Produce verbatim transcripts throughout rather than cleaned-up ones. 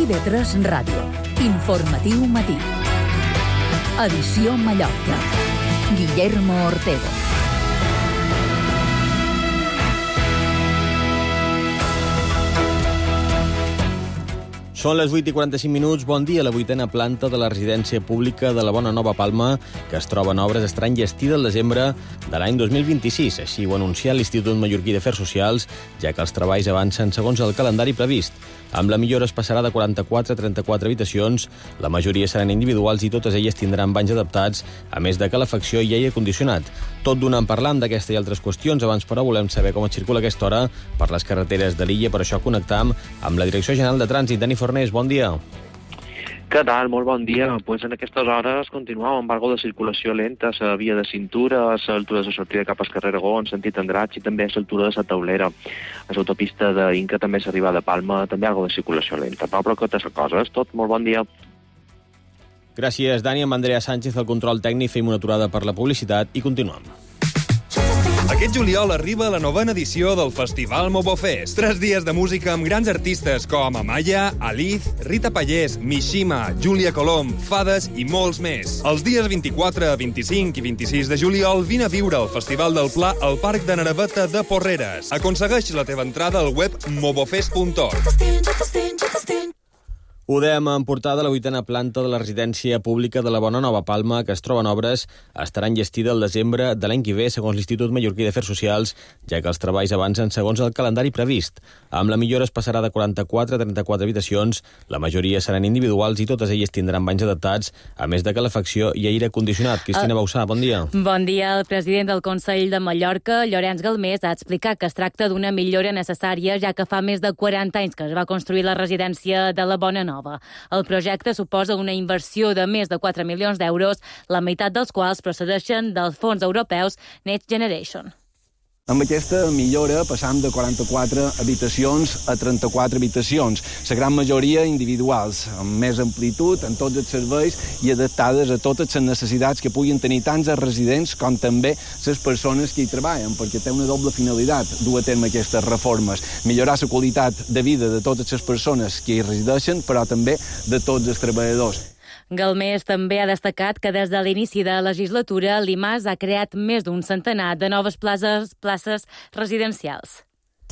I V tres Ràdio. Informatiu matí. Edició Mallorca. Guillermo Ortego. Són les vuit i quaranta-cinc minuts. Bon dia. La vuitena planta de la residència pública de la Bona Nova Palma, que es troba en obres, estarà enllestida el desembre de l'any dos mil vint-i-sis. Així ho ha anunciat l'Institut Mallorquí d'Afers Socials, ja que els treballs avancen segons el calendari previst. Amb la millora es passarà de quaranta-quatre a trenta-quatre habitacions. La majoria seran individuals i totes elles tindran banys adaptats, a més de calefacció i aire condicionat. Tot donant parlant d'aquesta i altres qüestions. Abans, però, volem saber com es circula a aquesta hora per les carreteres de l'illa. Per això connectam amb la Direcció General de Trànsit. Dani Fornés, bon dia. Què tal? Molt bon dia. Pues en aquestes hores continuava amb algo de circulació lenta a la via de cintura, a l'altura de la sortida cap al carrer Aragó, en sentit Andratx, i també a l'altura de la Taulera. A l'autopista d'Inca també s'arriba de Palma, també algo de circulació lenta. Però, però totes les coses, tot molt bon dia. Gràcies, Dani. Amb Andrea Sánchez, el control tècnic, fem una aturada per la publicitat i continuem. Aquest juliol arriba la novena edició del Festival Mobofest. Tres dies de música amb grans artistes com Amaya, Aliz, Rita Pallés, Mishima, Júlia Colom, Fades i molts més. Els dies vint-i-quatre, vint-i-cinc i vint-i-sis de juliol vine a viure el Festival del Pla al Parc de Naraveta de Porreres. Aconsegueix la teva entrada al web mobofest punt org. Ho dèiem en portada, la vuitena planta de la residència pública de la Bona Nova Palma, que es troba en obres, estarà enllestida el desembre de l'any que ve, segons l'Institut Mallorquí d'Afers Socials, ja que els treballs avancen segons el calendari previst. Amb la millora es passarà de quaranta-quatre a trenta-quatre habitacions, la majoria seran individuals i totes elles tindran banys adaptats, a més de calefacció i aire condicionat. Cristina Bausà, bon dia. Bon dia. El president del Consell de Mallorca, Llorenç Galmés, ha explicat que es tracta d'una millora necessària, ja que fa més de quaranta anys que es va construir la residència de la Bona Nova. El projecte suposa una inversió de més de quatre milions d'euros, la meitat dels quals procedeixen dels fons europeus Next Generation. Amb aquesta millora passam de quaranta-quatre habitacions a trenta-quatre habitacions, la gran majoria individuals, amb més amplitud en tots els serveis i adaptades a totes les necessitats que puguin tenir tant els residents com també les persones que hi treballen, perquè té una doble finalitat dur a terme aquestes reformes, millorar la qualitat de vida de totes les persones que hi resideixen, però també de tots els treballadors. Galmés també ha destacat que des de l'inici de la legislatura l'IMAS ha creat més d'un centenar de noves places, places residencials.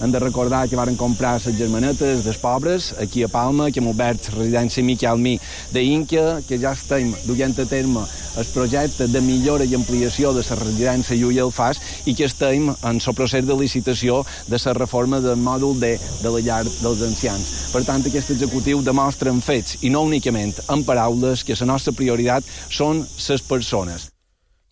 Hem de recordar que varen comprar les germanetes dels pobres aquí a Palma, que hem obert residència Miquel Mi d'Inca, que ja estem duent a terme el projecte de millora i ampliació de la residència Llull Alfàs i que estem en el procés de licitació de la reforma del mòdul D de la llar dels ancians. Per tant, aquest executiu demostra en fets i no únicament en paraules que la nostra prioritat són les persones.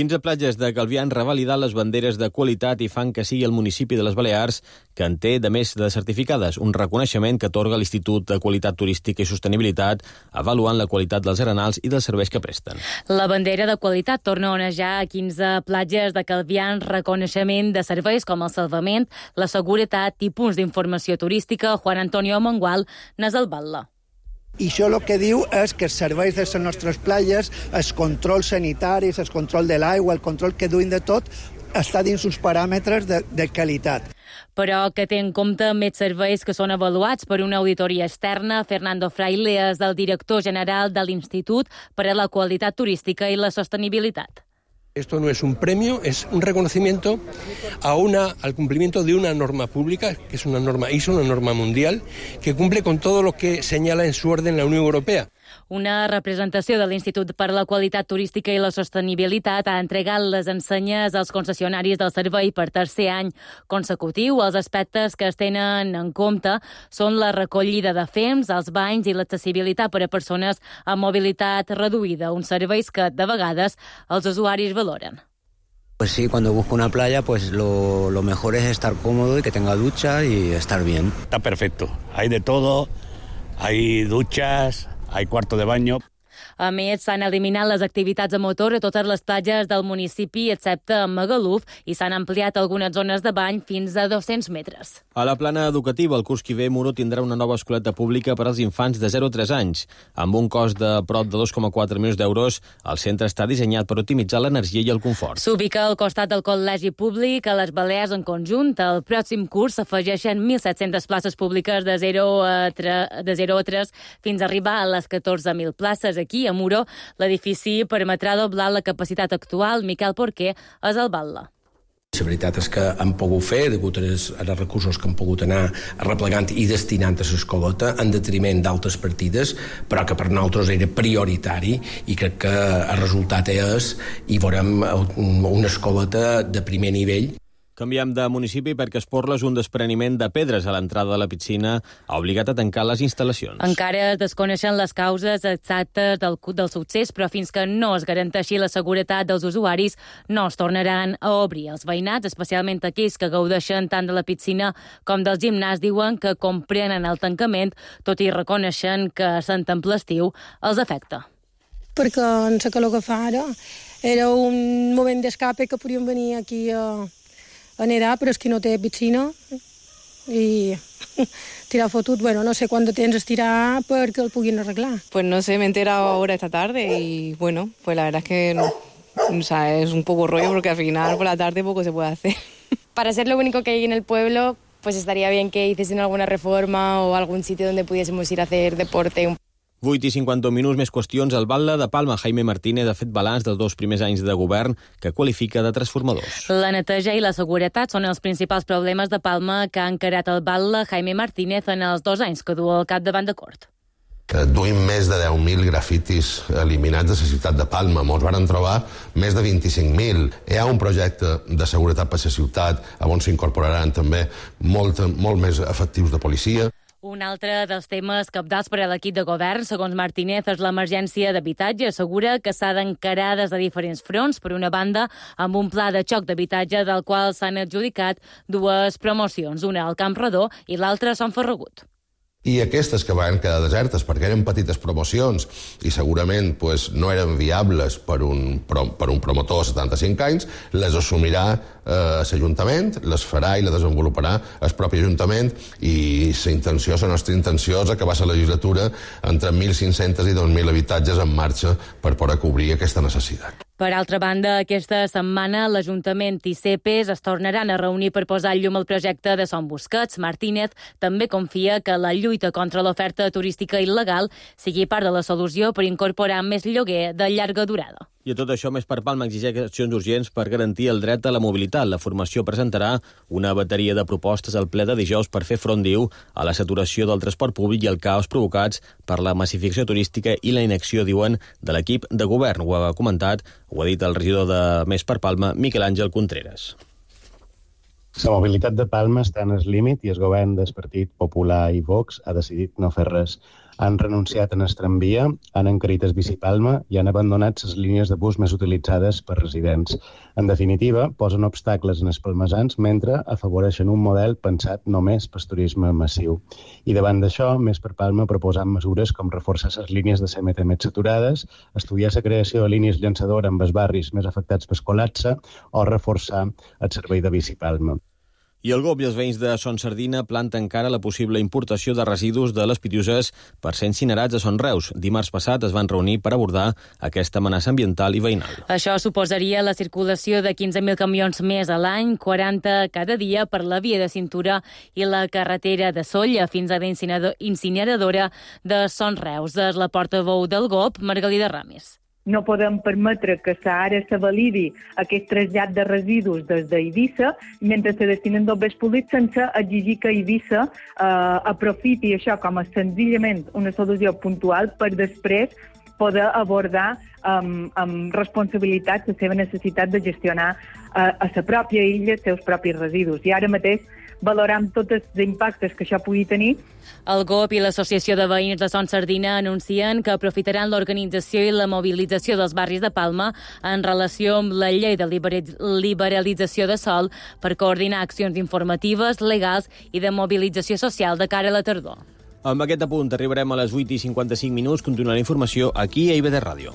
quinze platges de Calvià han revalidat les banderes de qualitat i fan que sigui el municipi de les Balears que en té de més de certificades, un reconeixement que atorga l'Institut de Qualitat Turística i Sostenibilitat, avaluant la qualitat dels arenals i dels serveis que presten. La bandera de qualitat torna a onejar a quinze platges de Calvià en reconeixement de serveis com el salvament, la seguretat i punts d'informació turística. Juan Antonio Mongual n'és el batlle. I això el que diu és que els serveis de les nostres platges, els controls sanitaris, el control de l'aigua, el control que duin de tot, està dins uns paràmetres de, de qualitat. Però que té en compte més serveis que són avaluats per una auditoria externa. Fernando Fraile és el director general de l'Institut per a la Qualitat Turística i la Sostenibilitat. Esto no es un premio, es un reconocimiento a una, al cumplimiento de una norma pública, que es una norma I S O, una norma mundial, que cumple con todo lo que señala en su orden la Unión Europea. Una representació de l'Institut per la Qualitat Turística i la Sostenibilitat ha entregat les ensenyes als concessionaris del servei per tercer any consecutiu. Els aspectes que es tenen en compte són la recollida de fems, els banys i l'accessibilitat per a persones amb mobilitat reduïda, uns serveis que de vegades els usuaris valoren. Pues sí, cuando busco una playa, pues lo, lo mejor es estar cómodo y que tenga ducha y estar bien. Está perfecto. Hay de todo, hay duchas, hay cuarto de baño. A més, s'han eliminat les activitats a motor a totes les platges del municipi, excepte a Magaluf, i s'han ampliat algunes zones de bany fins a dos-cents metres. A la plana educativa, el curs que ve, Muro tindrà una nova escoleta pública per als infants de zero a tres anys. Amb un cost de prop de dos coma quatre milions d'euros, el centre està dissenyat per optimitzar l'energia i el confort. S'ubica al costat del col·legi públic a les Balears en conjunt. Al pròxim curs s'afegeixen mil set-centes places públiques de zero a tres fins a arribar a les catorze mil places. Aquí, a Muro, l'edifici permetrà doblar la capacitat actual. Miquel Porquer és el batlle. La veritat és que han pogut fer, degut als recursos que han pogut anar arreplegant i destinant a l'escoleta, en detriment d'altres partides, però que per nosaltres era prioritari i crec que el resultat és i veurem una escoleta de primer nivell. Canviem de municipi perquè Esporles, un despreniment de pedres a l'entrada de la piscina, ha obligat a tancar les instal·lacions. Encara es desconeixen les causes exactes del, del succés, però fins que no es garanteixi la seguretat dels usuaris, no es tornaran a obrir. Els veïnats, especialment aquells que gaudeixen tant de la piscina com del gimnàs, diuen que comprenen el tancament, tot i reconeixen que Sant Temple estiu els afecta. Perquè en la calor que fa ara era un moment d'escape que podíem venir aquí a a nedar, però és que no té piscina i tirar fotut, bueno, no sé quant de temps estirar perquè el puguin arreglar. Pues no sé, me he enterado ahora esta tarde y bueno, pues la verdad es que no, o sea, es un poco rollo porque al final por la tarde poco se puede hacer. Para ser lo único que hay en el pueblo, pues estaría bien que hiciesen alguna reforma o algún sitio donde pudiésemos ir a hacer deporte. vuit i cinquanta minuts, més qüestions. El batlle de Palma, Jaime Martínez, ha fet balanç dels dos primers anys de govern que qualifica de transformadors. La neteja i la seguretat són els principals problemes de Palma que ha encarat el batlle Jaime Martínez en els dos anys que du al capdavant de Cort. Duim més de deu mil grafitis eliminats de la ciutat de Palma. Ens van trobar més de vint-i-cinc mil. Hi ha un projecte de seguretat per la ciutat on s'incorporaran també molt, molt més efectius de policia. Un altre dels temes cabdals per a l'equip de govern, segons Martínez, és l'emergència d'habitatge. Assegura que s'ha d'encarar des de diferents fronts. Per una banda, amb un pla de xoc d'habitatge del qual s'han adjudicat dues promocions, una al Camp Redó i l'altra a Sant Ferragut. I aquestes que van quedar desertes perquè eren petites promocions i segurament pues, no eren viables per un, per un promotor de setanta-cinc anys, les assumirà eh, l'Ajuntament, les farà i les desenvoluparà el propi Ajuntament i la intenció, la nostra intenció és acabar la legislatura entre mil cinc-cents i dos mil habitatges en marxa per poder cobrir aquesta necessitat. Per altra banda, aquesta setmana l'Ajuntament i C E P E S es tornaran a reunir per posar llum al projecte de Son Busquets. Martínez també confia que la lluita contra l'oferta turística il·legal sigui part de la solució per incorporar més lloguer de llarga durada. I a tot això, Més per Palma exigeix accions urgents per garantir el dret a la mobilitat. La formació presentarà una bateria de propostes al ple de dijous per fer front, diu, a la saturació del transport públic i el caos provocats per la massificació turística i la inacció, diuen, de l'equip de govern. Ho ha comentat, ho ha dit el regidor de Més per Palma, Miquel Àngel Contreras. La mobilitat de Palma està en el límit i el govern del Partit Popular i Vox ha decidit no fer res. Han renunciat en el tramvia, han encarit el bicipalma i han abandonat les línies de bus més utilitzades per residents. En definitiva, posen obstacles en els palmesans mentre afavoreixen un model pensat només per turisme massiu. I davant d'això, Més per Palma proposant mesures com reforçar les línies de C M T més saturades, estudiar la creació de línies llançadores amb els barris més afectats pel col·lapse o reforçar el servei de bicipalma. I el G O P i els veïns de Son Sardina planten encara la possible importació de residus de les Pitiuses per ser incinerats a Son Reus. Dimarts passat es van reunir per abordar aquesta amenaça ambiental i veïnal. Això suposaria la circulació de quinze mil camions més a l'any, quaranta cada dia per la via de cintura i la carretera de Solla fins a la incineradora de Son Reus. És la portaveu del G O P, Margalida Ramis. No podem permetre que ara se validi aquest trasllat de residus des d'Eivissa mentre se destinen d'obres públics sense exigir que Eivissa eh, aprofiti això com a senzillament una solució puntual per després poder abordar amb, amb responsabilitat la seva necessitat de gestionar eh, a la pròpia illa els seus propis residus. I ara mateix valoram tots els impactes que això pugui tenir. El G O P i l'Associació de Veïns de Son Sardina anuncien que aprofitaran l'organització i la mobilització dels barris de Palma en relació amb la llei de liberalització de sòl per coordinar accions informatives, legals i de mobilització social de cara a la tardor. Amb aquest apunt arribarem a les vuit i cinquanta-cinc minuts. Continua la informació aquí a I B D Ràdio.